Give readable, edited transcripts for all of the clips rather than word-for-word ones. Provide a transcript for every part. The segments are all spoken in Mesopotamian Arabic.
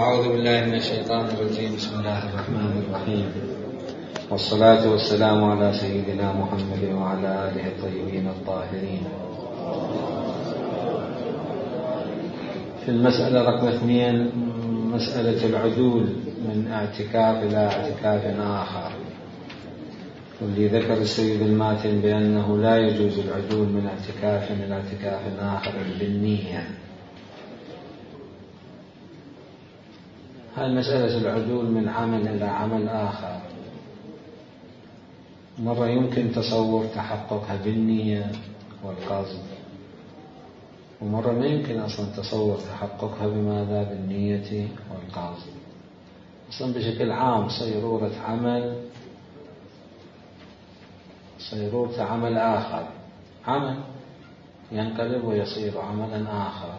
أعوذ بالله من الشيطان الرجيم. بسم الله الرحمن الرحيم، والصلاة والسلام على سيدنا محمد وعلى آله الطيبين الطاهرين. في المسألة رقم 2، مسألة العدول من اعتكاف إلى اعتكاف آخر، واللي ذكر السيد الماتن بأنه لا يجوز العدول من اعتكاف إلى اعتكاف آخر بالنية. هاي مسألة العدول من عمل إلى عمل آخر، مرة يمكن تصور تحققها بالنية والقصد، ومرة ما يمكن أصلا تصور تحققها بماذا؟ بالنية والقصد. أصلا بشكل عام صيرورة عمل آخر، عمل ينقلب ويصير عملا آخر.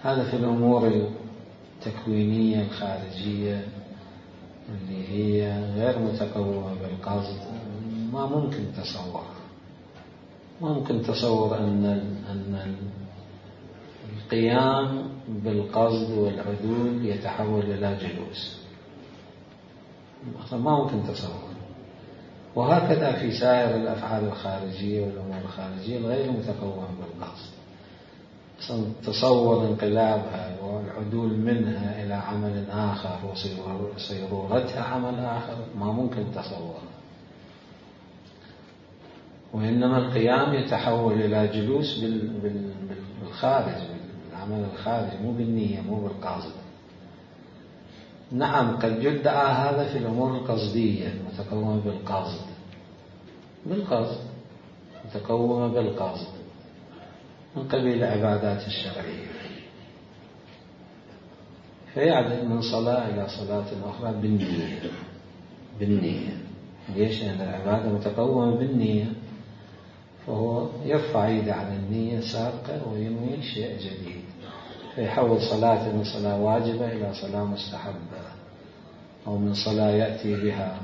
هذا في الأمور التكوينية الخارجية اللي هي غير متقومة بالقصد، ما ممكن تصور أن القيام بالقصد والعدول يتحول إلى جلوس، ما ممكن تصور. وهكذا في سائر الأفعال الخارجية والأمور الخارجية الغير متقومة بالقصد، تصور انقلابها والعدول منها إلى عمل آخر وصيرورتها عمل آخر ما ممكن تصور، وإنما القيام يتحول إلى جلوس بالخارج، بالعمل الخارجي، مو بالنية، مو بالقصد. نعم قد يدعى هذا في الأمور القصدية المتقومة بالقصد متقومة بالقصد من قبيل العبادات الشرعية، فيعدل من صلاة إلى صلاة أخرى بالنية. ليش؟ لأن العبادة متقومة بالنية، فهو يرفع يده عن النية سابقة وينوي شيء جديد، فيحول صلاة من صلاة واجبة إلى صلاة مستحبة، أو من صلاة يأتي بها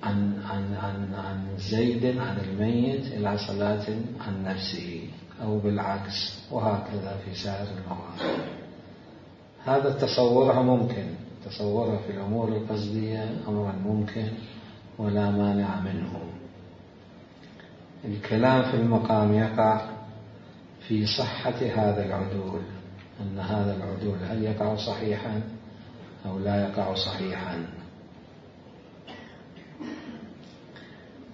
عن زيد عن الميت إلى صلاة عن نفسه، أو بالعكس، وهكذا في سائر المواقف. هذا تصورها ممكن، تصورها في الأمور القصدية أمرا ممكن ولا مانع منه. الكلام في المقام يقع في صحة هذا العدول، أن هذا العدول هل يقع صحيحا أو لا يقع صحيحا.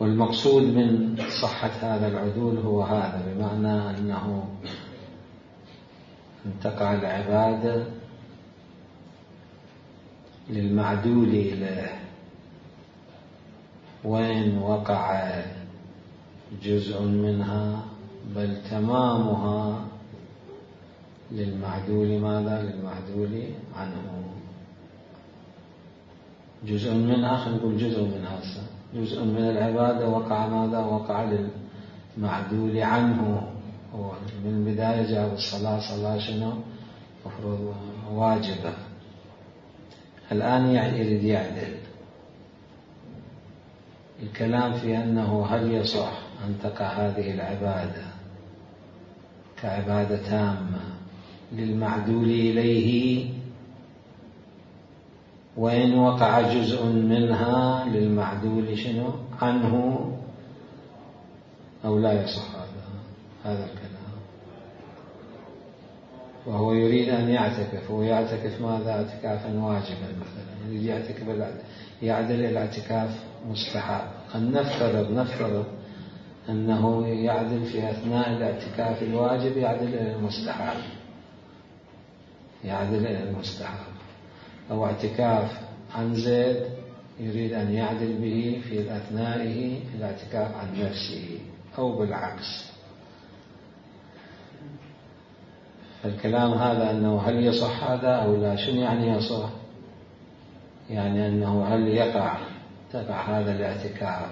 والمقصود من صحة هذا العدول هو هذا، بمعنى أنه أن تقع العبادة للمعدول إليه، وإن وقع جزء منها بل تمامها للمعدول ماذا؟ للمعدول عنه. جزء منها، خلينا نقول جزء من العبادة وقع ماذا؟ وقع للمعدول عنه. هو من البداية جاء الصلاة شنو؟ مفروض واجبة، الآن يريد يعدل. الكلام في أنه هل يصح أن تقع هذه العبادة كعبادة تامة للمعدول إليه، وإن وقع جزء منها للمعدول شنو؟ عنه، أو لا يصح هذا الكلام. وهو يريد أن يعتكف، ويعتكف ماذا؟ اعتكافا واجبا مثلا، يريد يعتكف يعدل إلى اعتكاف مستحب. نفترض أنه يعدل في أثناء الاعتكاف الواجب يعدل إلى المستحب، أو اعتكاف عن زيد يريد أن يعدل به في أثنائه الاعتكاف عن نفسه، أو بالعكس. فالكلام هذا أنه هل يصح هذا أو لا؟ شنو يعني يصح؟ يعني أنه هل تقع هذا الاعتكاف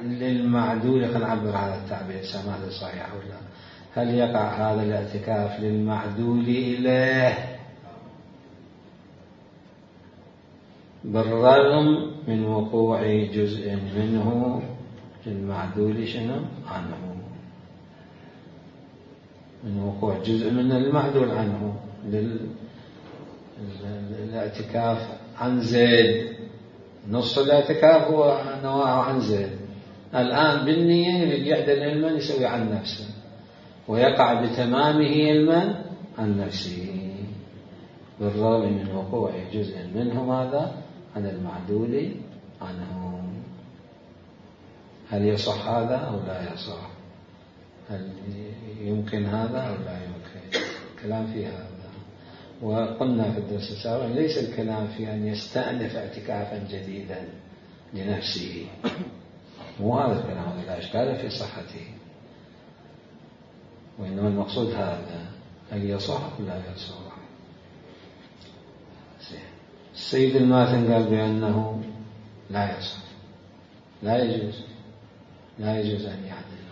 للمعدول، خلينا نعبر هذا التعبير سماه صحيح أو لا. هل يقع هذا الاعتكاف للمعدول إليه بالرغم من وقوع جزء منه للمعدول شنو؟ عنه. من وقوع جزء من المعدول عنه للاعتكاف عن زيد. نص الاعتكاف هو نواه عن زيد، الآن بالنية يعدل علما يسوي عن نفسه ويقع بتمامه علما عن نفسه بالرغم من وقوع جزء منه ماذا عن المعدول عنه. هل يصح هذا أو لا يصح؟ هل يمكن هذا أو لا يمكن؟ الكلام في هذا. وقلنا في الدرس السابق ليس الكلام في أن يستأنف اعتكافا جديدا لنفسه، مو هذا الكلام، لا إشكال في صحته، وإنما المقصود هذا هل يصح أو لا يصح. السيد الماثن قال بأنه لا يصح، لا يجوز أن يعدل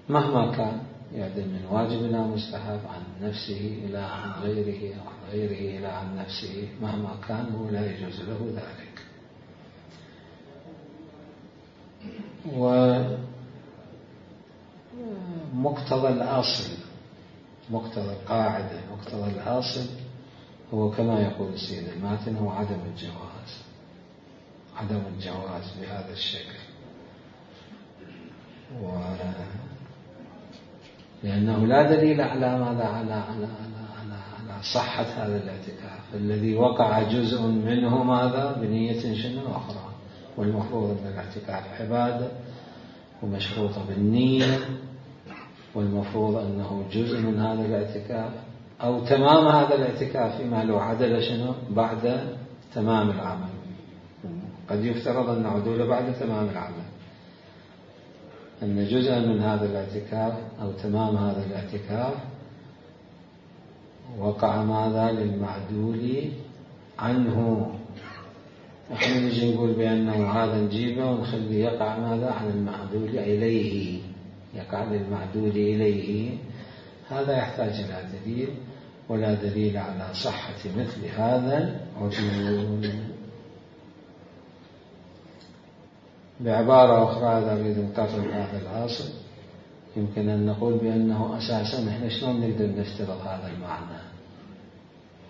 مهما كان، يعدل من واجب إلى مستحب، عن نفسه إلى عن غيره، أو عن غيره إلى عن نفسه، مهما كان هو لا يجوز له ذلك. ومقتضى الأصل، مقتضى القاعدة، مقتضى الأصل هو كما يقول السيد الماتن هو عدم الجواز بهذا الشكل، لأنه لا دليل على ماذا على صحة هذا الاعتكاف الذي وقع جزء منه ماذا بنية شنو أخرى. والمفروض أن الاعتكاف عبادة ومشروطة بالنية، والمفروض أنه جزء من هذا الاعتكاف أو تمام هذا الاعتكاف فيما لو عدل شنو بعد تمام العمل. قد يفترض أن عدول بعد تمام العمل، أن جزءا من هذا الاعتكاف أو تمام هذا الاعتكاف وقع ماذا للمعدول عنه. احنا نجي نقول بأنه هذا نجيبه ونخليه يقع ماذا عن المعدول إليه، يقع للمعدول إليه. هذا يحتاج إلى دليل، ولا دليل على صحة مثل هذا العدول. بعبارة أخرى إذا نريد نقرر هذا الأصل يمكن أن نقول بأنه أساسا إحنا شلون نقدر نفترض هذا المعنى،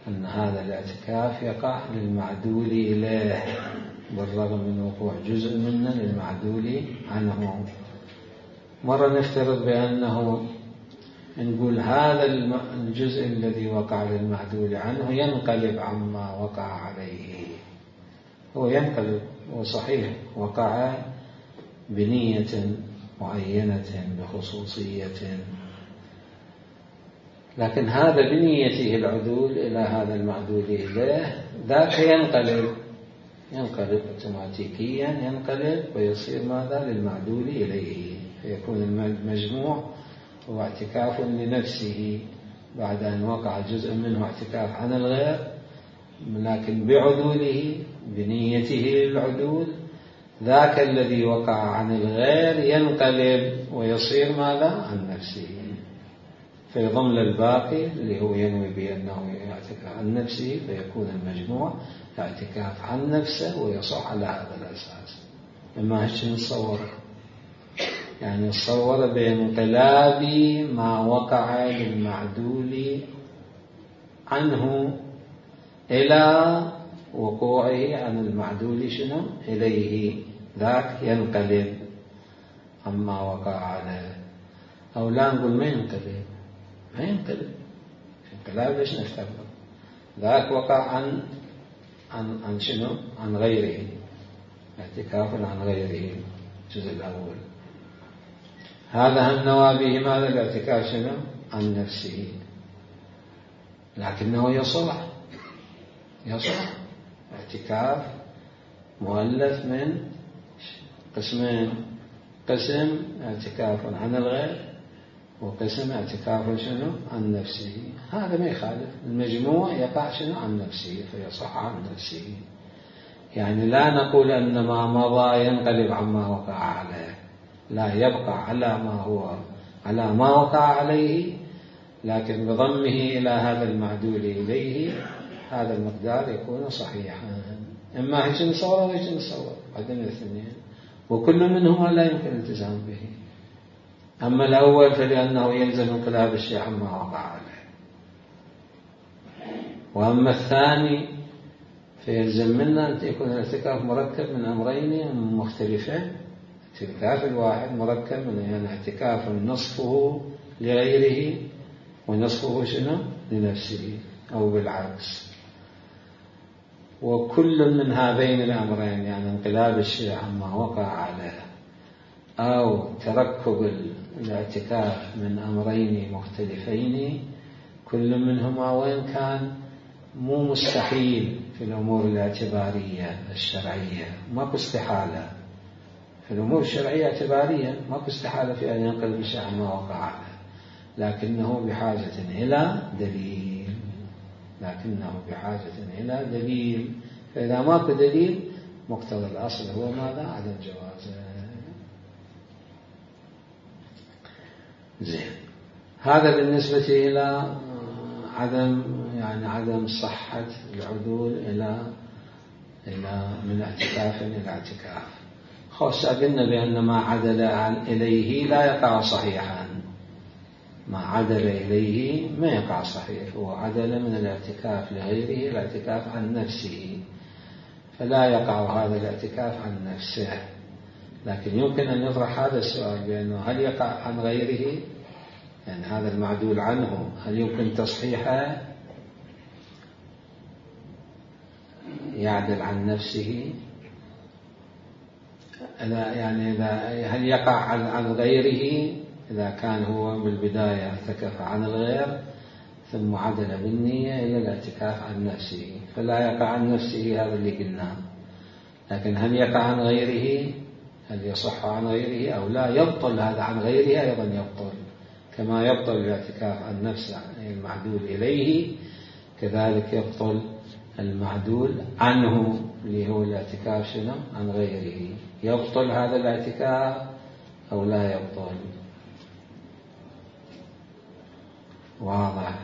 أن هذا الاعتكاف يقع للمعدول إليه بالرغم من وقوع جزء منه للمعدول عنه. مرة نفترض بأنه نقول هذا الجزء الذي وقع للمعدول عنه ينقلب عما وقع عليه، هو ينقلب، وصحيح وقع بنية معينة بخصوصية، لكن هذا بنيته العدول إلى هذا المعدول إليه ذاك ينقلب اوتوماتيكيا، ينقلب ويصير ماذا للمعدول إليه، فيكون المجموع هو اعتكاف لنفسه بعد أن وقع جزء منه اعتكاف عن الغير، لكن بعدوله بنيته العدول ذاك الذي وقع عن الغير ينقلب ويصير ماذا عن نفسه، فيضم للباقي اللي هو ينوي بأنه يعتكف عن نفسه، فيكون المجموع اعتكاف عن نفسه ويصح على هذا الأساس. إما هيك نتصور، يعني نتصور بانقلاب ما وقع للمعدول عنه إلى وقوعه عن المعدول شنو إليه، ذاك ينقلب عما وقع عليه. أو لا نقول ما ينقلب انقلاب ليش نفترض؟ ذاك وقع عن شنو عن غيره، اعتكاف عن غيره الجزء الأول، هذا هم نوى به ماذا الاعتكاف شنو عن نفسه، لكنه يصلح اعتكاف مؤلف من قسمين، قسم اعتكاف عن الغير وقسم اعتكاف شنو عن نفسه. هذا ما يخالف، المجموع يقع شنو عن نفسه فيصح عن نفسه. يعني لا نقول أن ما مضى ينقلب عما وقع عليه، لا، يبقى على ما وقع عليه، لكن بضمه إلى هذا المعدول إليه هذا المقدار يكون صحيحا. إما هيك نصور وهيك نصور، هذين الاثنين، وكل منهما لا يمكن الالتزام به. أما الأول فلأنه يلزم انقلاب الشيء عما وقع عليه، وأما الثاني فيلزم منا أن يكون الاعتكاف مركب من أمرين مختلفين. الاعتكاف الواحد مركب من اعتكاف نصفه لغيره ونصفه شنو؟ لنفسه أو بالعكس. وكل من هذين الأمرين يعني انقلاب الشيء عما وقع عليه أو تركب الاعتكاف من أمرين مختلفين، كل منهما وإن كان مو مستحيل في الأمور الاعتبارية الشرعية، ماكو استحالة في الأمور الشرعية اعتبارية، ماكو استحالة في أن ينقلب الشيء عما وقع عليه، لكنه بحاجة إلى دليل، فإذا ماكو دليل مقتضى الأصل هو ماذا؟ عدم جوازه. زين، هذا بالنسبة إلى عدم صحة العدول إلى من اعتكاف إلى اعتكاف. خاصة قلنا بأن ما عدل إليه لا يقع صحيحا، ما عدل إليه ما يقع صحيح، هو عدل من الاعتكاف لغيره الاعتكاف عن نفسه، فلا يقع هذا الاعتكاف عن نفسه. لكن يمكن أن يطرح هذا السؤال بأنه هل يقع عن غيره؟ يعني هذا المعدول عنه هل يمكن تصحيحه؟ يعدل عن نفسه هل يقع عن غيره إذا كان هو بالبداية اعتكف عن الغير ثم عدل بالنية إلى الاعتكاف عن نفسه، فلا يقع عن نفسه هذا اللي قلناه. لكن هل يقع عن غيره؟ هل يصح عن غيره أو لا؟ يبطل هذا عن غيره أيضا، يبطل كما يبطل الاعتكاف عن نفسه المعدول إليه، كذلك يبطل المعدول عنه اللي هو الاعتكاف شنو؟ عن غيره. يبطل هذا الاعتكاف أو لا يبطل؟ واضح.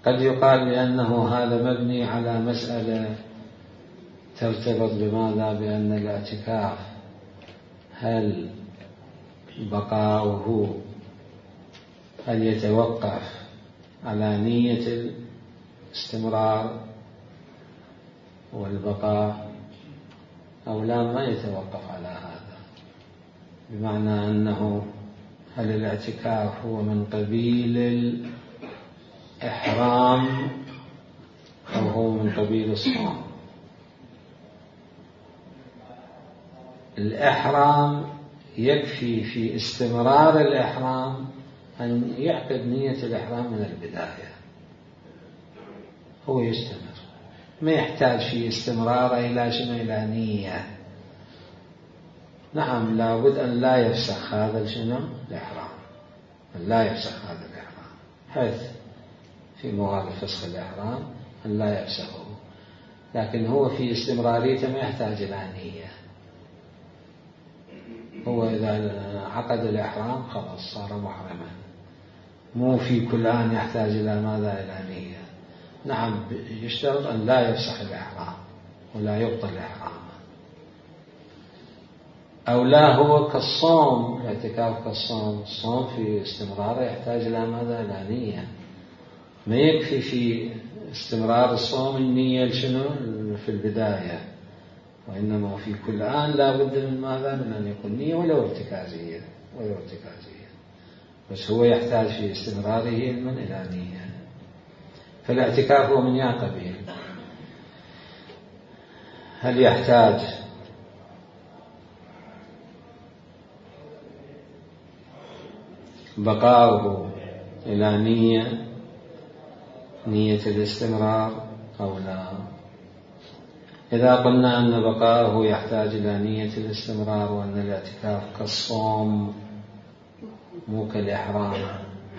قد يقال بأنه هذا مبني على مسألة ترتبط بماذا؟ بأن الاعتكاف هل بقاؤه هل يتوقف على نية الاستمرار والبقاء أو لا، ما يتوقف على هذا، بمعنى أنه هل الاعتكاف هو من قبيل الإحرام أو هو من قبيل الصوم؟ الإحرام يكفي في استمرار الإحرام أن يعقد نية الإحرام من البداية، هو يستمر، ما يحتاج في استمرار إلى شنو؟ إلى نية. نعم، لابد أن لا يفسخ هذا شنو؟ الإحرام، أن لا يفسخ هذا الإحرام، حيث في موارد فسخ الإحرام أن لا يفسخه، لكن هو في استمراريته ما يحتاج إلى نية. هو إذا عقد الإحرام خلاص صار محرما، مو في كل آن يحتاج إلى ماذا؟ إلى نية. نعم، يشترط أن لا يفسخ الإحرام ولا يبطل الإحرام، أو لا هو كالصوم، الاعتكاف كالصوم، الصوم في استمراره يحتاج إلى ماذا؟ إلى نية، ما يكفي في استمرار الصوم النية شنو؟ في البداية، وإنما في كل آن لا بد من ماذا؟ من أن يكون نية ولو ارتكازية، بس هو يحتاج في استمراره من إلى نية. فالاعتكاف هو من قبيل، هل يحتاج بقاؤه إلى نية الاستمرار أو لا؟ إذا قلنا أن بقاؤه يحتاج إلى نية الاستمرار وأن الاعتكاف كالصوم مو كالإحرام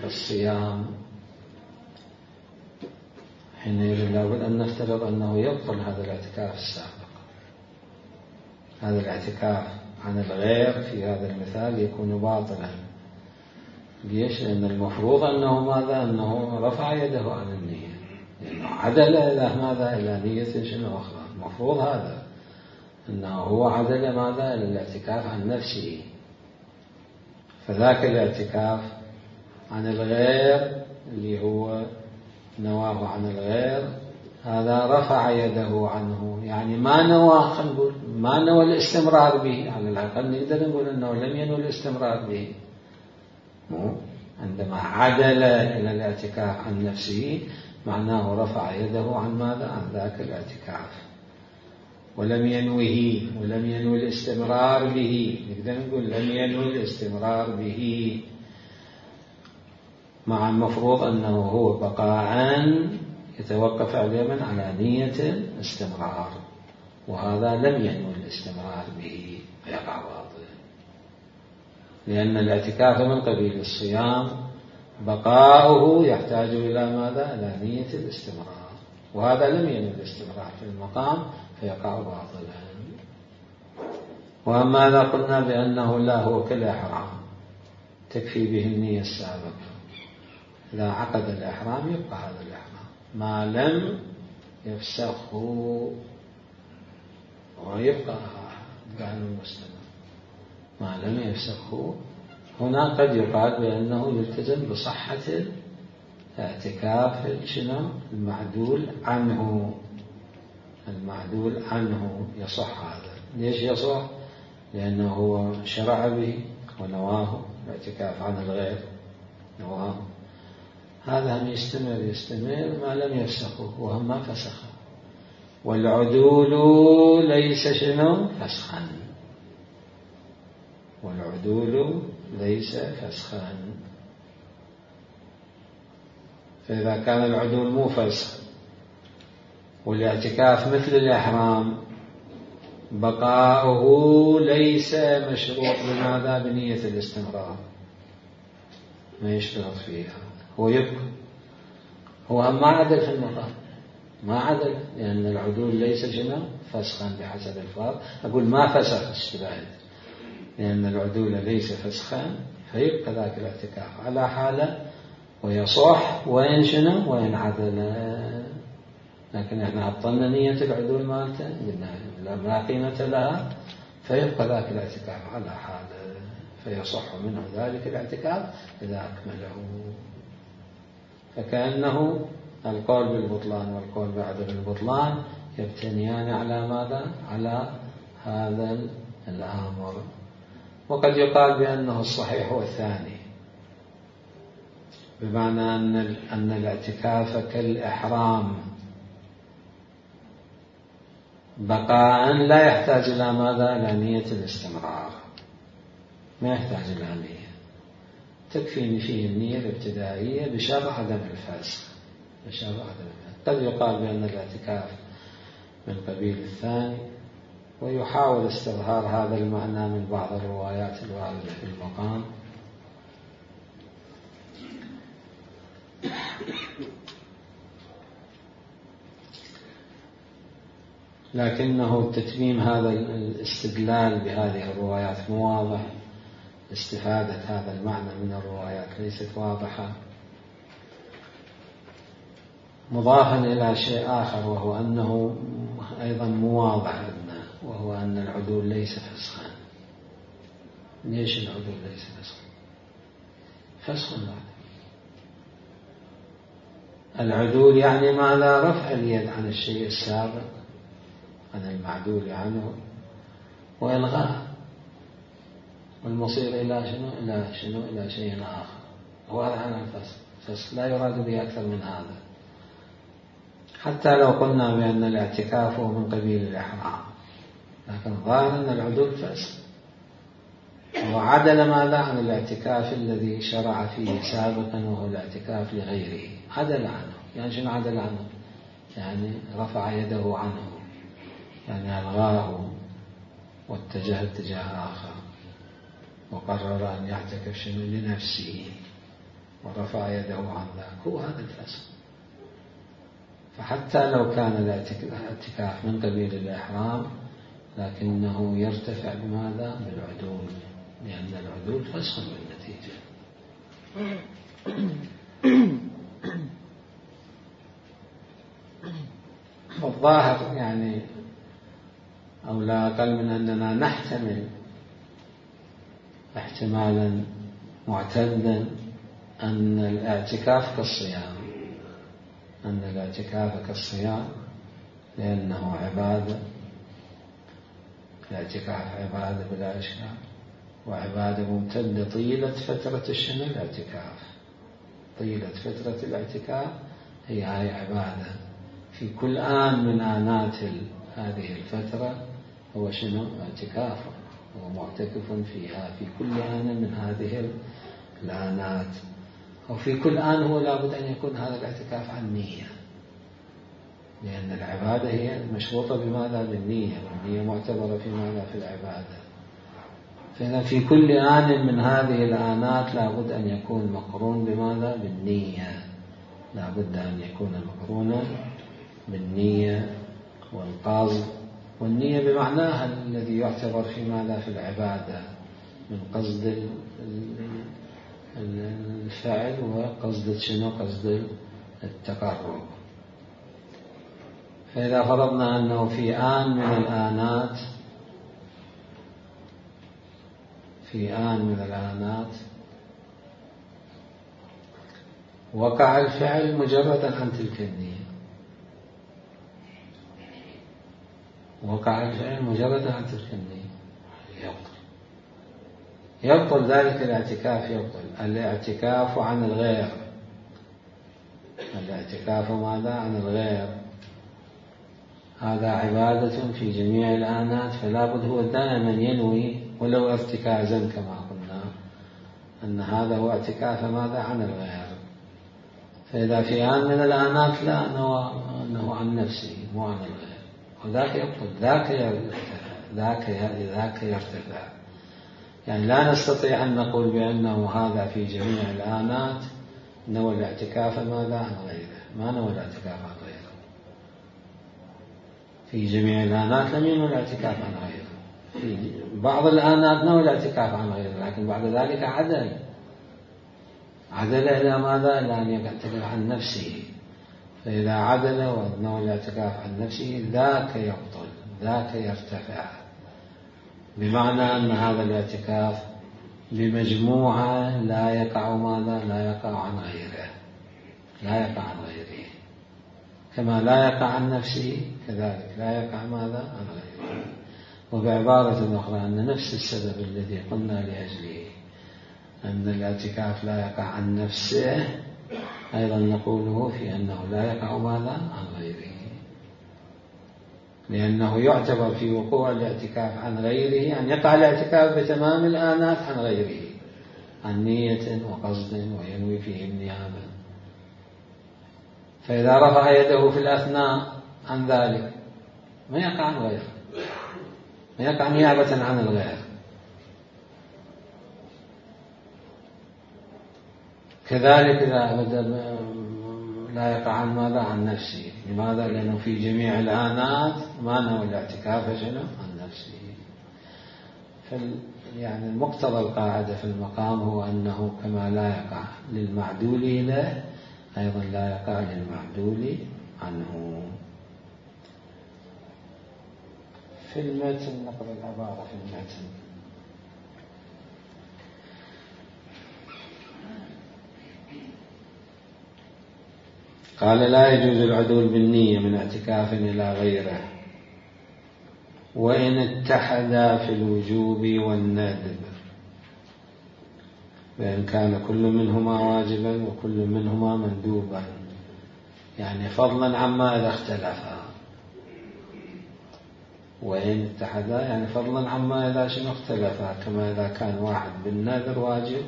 كالصيام، حينئذ لابد أن نفترض أنه يبطل هذا الاعتكاف السابق. هذا الاعتكاف عن الغير في هذا المثال يكون باطلا. ليش؟ لأن المفروض أنه ماذا؟ أنه رفع يده عن النية، لأنه عدل إلى ماذا؟ إلى نية شنو أخرى. المفروض هذا أنه هو عدل ماذا؟ إلى الاعتكاف عن نفسه، فذاك الاعتكاف عن الغير اللي هو نواه عن الغير، هذا رفع يده عنه، يعني ما نوى، خلينا نقول ما نوى الاستمرار به، على الأقل نقدر نقول أنه لم ينوي الاستمرار به. عندما عدل إلى الاعتكاف عن نفسه معناه رفع يده عن ماذا؟ عن ذاك الاعتكاف، ولم ينوه ولم ينوي الاستمرار به. نقدر نقول لم ينوي الاستمرار به، مع المفروض أنه هو بقاء يتوقف على على نية الاستمرار، وهذا لم ينوي الاستمرار به فيقع باطلا، لأن الاعتكاف من قبيل الصيام بقاؤه يحتاج إلى ماذا؟ إلى نية الاستمرار، وهذا لم ينوي الاستمرار في المقام فيقع باطلا. وأما إذا قلنا بأنه لا هو كالإحرام تكفي به النية السابقة، إذا عقد الإحرام يبقى هذا الإحرام ما لم يفسخه، ويبقى قانون المستمر ما لم يفسخه. هنا قد يقال بأنه يلتزم بصحة الاعتكاف المعدول عنه، المعدول عنه يصح هذا. ليش يصح؟ لأنه هو شرع به ونواه، الاعتكاف عن الغير نواه، هذا هم يستمر ما لم يفسخه، وهم ما فسخه. والعدول ليس فسخا، والعدول ليس فسخا. فإذا كان العدول مو فسخ والاعتكاف مثل الإحرام بقاؤه ليس مشروط بماذا؟ بنية الاستمرار، ما يشترط فيها، هو يبقى، هو ما عدل في المقام، ما عدل، لأن العدول ليس فسخا بحسب الفاظ. أقول ما فسخ الشباب، لأن العدول ليس فسخا، فيبقى ذاك الاعتكاف على حاله ويصح وإن عدل. لكن احنا عطلنا نية العدول مالته، قلنا ما قيمة لها، فيبقى ذاك الاعتكاف على حاله، فيصح منه ذلك الاعتكاف إذا أكمله. فكأنه القول بالبطلان والقول بعدم البطلان يبتنيان على ماذا؟ على هذا الأمر. وقد يقال بأنه الصحيح هو الثاني، بمعنى أن الاعتكاف كالإحرام بقاء لا يحتاج إلى ماذا؟ إلى نية الاستمرار، ما يحتاج إلى نية، تكفي فيه النية الابتدائية بشرط عدم الفسخ. قد يقال بأن الاعتكاف من قبيل الثاني، ويحاول استظهار هذا المعنى من بعض الروايات الواردة في المقام. لكنه تتميم هذا الاستدلال بهذه الروايات مو واضح، استفادة هذا المعنى من الروايات ليست واضحة، مضافا إلى شيء آخر، وهو أنه أيضا مو واضح عندنا، وهو أن العدول ليس فسخا. ليش العدول ليس فسخا؟ فسخ العدول يعني معنى رفع اليد عن الشيء السابق، عن المعدول عنه، وإلغاء، والمصير إلى إلى شيء آخر. وهذا عن الفسخ لا يراد به أكثر من هذا. حتى لو قلنا بأن الاعتكاف هو من قبيل الإحرام، لكن ظاهر أن العدول فسخ، وعدل ماذا؟ عن الاعتكاف الذي شرع فيه سابقا، وهو الاعتكاف لغيره، عدل عنه. يعني شنو عدل عنه؟ يعني رفع يده عنه، يعني ألغاه واتجه اتجاه آخر، وقرر أن يعتكف لنفسه ورفع يده عن ذاك، هو هذا الفسخ. فحتى لو كان الاعتكاف من قبيل الإحرام، لكنه يرتفع بماذا؟ بالعدول، لأن العدول فسخ بالنتيجة. والظاهر يعني أو لا أقل من أننا نحتمل احتمالا معتدا أن الاعتكاف كالصيام، أن الاعتكاف كالصيام لأنه عبادة، الاعتكاف عبادة بلا إشكال، وعبادة ممتدة طيلة فترة الشنو الاعتكاف، طيلة فترة الاعتكاف هي عبادة في كل آن من آنات هذه الفترة هو شنو اعتكاف، هو معتكف فيها في كل آن من هذه الآنات، وفي كل آن هو لابد أن يكون هذا الاعتكاف عن نية، لأن العبادة هي مشروطة بماذا؟ بالنية، والنية معتبرة في ماذا؟ في العبادة. فإذا في كل آن من هذه الآنات لابد أن يكون مقرون بماذا؟ بالنية، لابد أن يكون مقرونا بالنية والقصد، والنية بمعناها الذي يعتبر في ماذا؟ في العبادة، من قصد الفعل وقصد شنو؟ قصد التقرب. فإذا فرضنا أنه في آن من الآنات، في آن من الآنات وقع الفعل مجردا عن تلك النية، وقع الفعل مجردا عن تلك النية يبطل ذلك الاعتكاف، يبطل الاعتكاف عن الغير، الاعتكاف ماذا؟ عن الغير، هذا عبادة في جميع الآنات، فلا بد هو دائما ينوي ولو ارتكازا كما قلنا أن هذا هو اعتكاف ماذا؟ عن الغير. فإذا في آن من الآنات لا أنه عن نفسه مو عن الغير، وذاك يبطل، ذاك يرتفع. يعني لا نستطيع أن نقول بأنه هذا في جميع الآنات نوى الاعتكاف ماذا؟ عن غيره، ما نوى الاعتكاف عن غيره. في جميع الآنات لم ينوى الاعتكاف عن غيره، في بعض الآنات نوى الاعتكاف عن غيره، لكن بعد ذلك عدل إلى ماذا؟ إلى أن يعتكف عن نفسه. فإذا عدل ونوى الاعتكاف عن نفسه ذاك يبطل، ذاك يرتفع، بمعنى أن هذا الاعتكاف بمجموعة لا يقع ماذا؟ لا يقع عن غيره، لا يقع عن غيره، كما لا يقع عن نفسه كذلك لا يقع ماذا؟ عن غيره. وبعبارة أخرى أن نفس السبب الذي قلنا لأجله أن الاعتكاف لا يقع عن نفسه أيضا نقوله في أنه لا يقع ماذا؟ عن غيره، لأنه يعتبر في وقوع الاعتكاف عن غيره أن يقع الاعتكاف بتمام الآنات عن غيره، عن نية وقصد وينوي فيه النيابة. فإذا رفع يده في الأثناء عن ذلك ما يقع عن غيره، ما يقع نيابة عن الغير. كذلك إذا لا يقع عن ماذا؟ عن نفسه. لماذا؟ لأنه في جميع الآنات ما نوى الاعتكاف شنو؟ عن نفسه. يعني المقتضى القاعدة في المقام هو أنه كما لا يقع للمعدول له أيضا لا يقع للمعدول عنه. في المتن نقرأ العبارة في المتن. قال لا يجوز العدول بالنية من اعتكاف إلى غيره وإن اتحدا في الوجوب والندب، بأن كان كل منهما واجبا وكل منهما مندوبا، يعني فضلا عما إذا اختلفا. وإن اتحدا يعني فضلا عما إذا شنو اختلفا، كما إذا كان واحد بالنذر واجب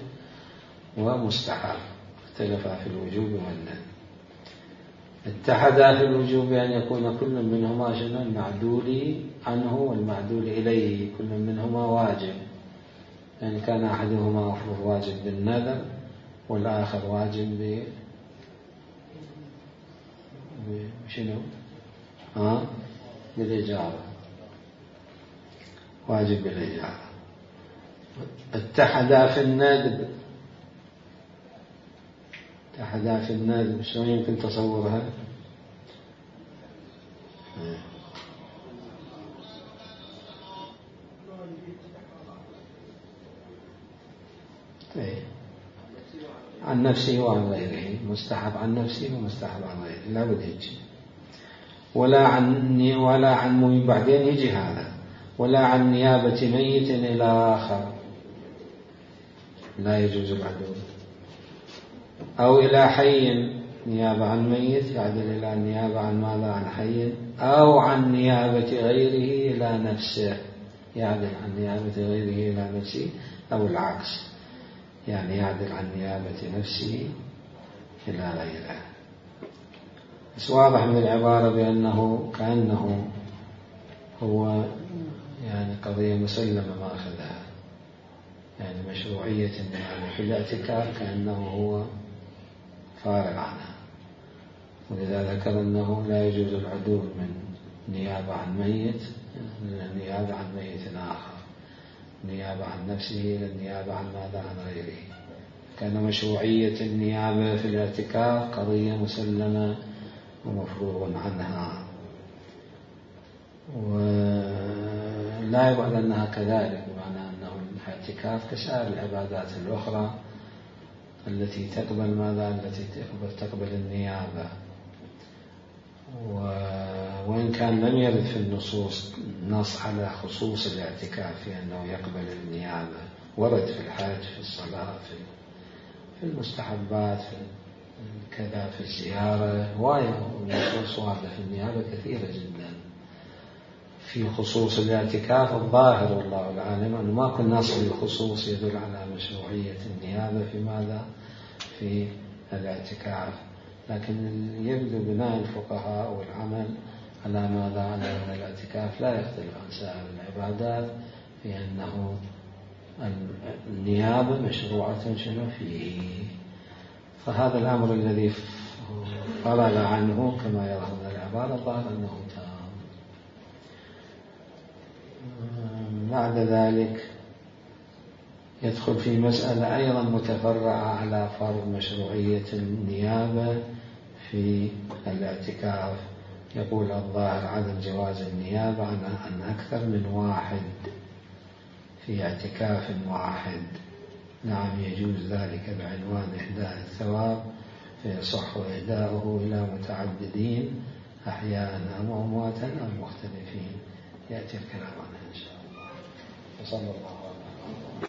ومستحب اختلفا في الوجوب والندب. اتحدا في الوجوب أن يكون كل منهما شنو؟ المعدول عنه والمعدول إليه، كل منهما واجب، يعني كان أحدهما مفروض واجب بالنذر والآخر واجب بشنو؟ بالإجارة، واجب بالإجارة. اتحدا في الندب، اتحدا في الندب شلون يمكن تصورها؟ عن نفسه وعن غيره، مستحب عن نفسه ومستحب عن غيره، لا بد هيك. ولا عن بعدين يجي هذا، ولا عن نيابة ميت إلى آخر، لا يجوز العدول. أو إلى حي، نيابة عن ميت يعدل إلى النيابة عن ماذا؟ عن حي. أو عن نيابة غيره إلى نفسه، يعدل عن نيابة غيره إلى نفسه، أو العكس، يعني يعدل عن نيابة نفسه إلى غيره. بس واضح من العبارة بأنه كأنه هو يعني قضية مسلمة ما أخذها، يعني مشروعية النيابة في الاعتكاف كأنه هو فارغ عنها، ولذا ذكر أنه لا يجوز العدول من نيابة عن ميت إلى النيابة عن ميت آخر، نيابة عن نفسه إلى النيابة عن ماذا؟ عن غيره. كان مشروعية النيابة في الاعتكاف قضية مسلمة ومفروغ عنها، ولا يبعد أنها كذلك، بمعنى أنه الاعتكاف كسائر العبادات الأخرى التي تقبل ماذا؟ التي تقبل النيابة. وإن كان لم يرد في النصوص نص على خصوص الاعتكاف في أنه يقبل النيابة، ورد في الحج، في الصلاة، في المستحبات، في كذا، في الزيارة، والنصوص واردة في النيابة كثيرة جدا. في خصوص الاعتكاف الظاهر والله العالم أنه ما كان نص بالخصوص يدل على مشروعية النيابة في ماذا؟ في الاعتكاف، لكن يبدو بناء الفقهاء والعمل على ماذا؟ على أن الاعتكاف لا يختلف عن سائر العبادات في أنه النيابة مشروعة شنو فيه. فهذا الأمر الذي فرغ عنه كما يرى من العبارة الظاهر أنه تام. بعد ذلك يدخل في مسألة أيضا متفرعة على فرض مشروعية النيابة في الاعتكاف. يقول الظاهر عدم جواز النيابة عن أكثر من واحد في اعتكاف واحد. نعم يجوز ذلك بعنوان إهداء الثواب، فيصح إهداؤه إلى متعددين أحياء أو أمواتا أو مختلفين. يأتي الكلام عنها إن شاء الله. وصلى الله عليه وسلم.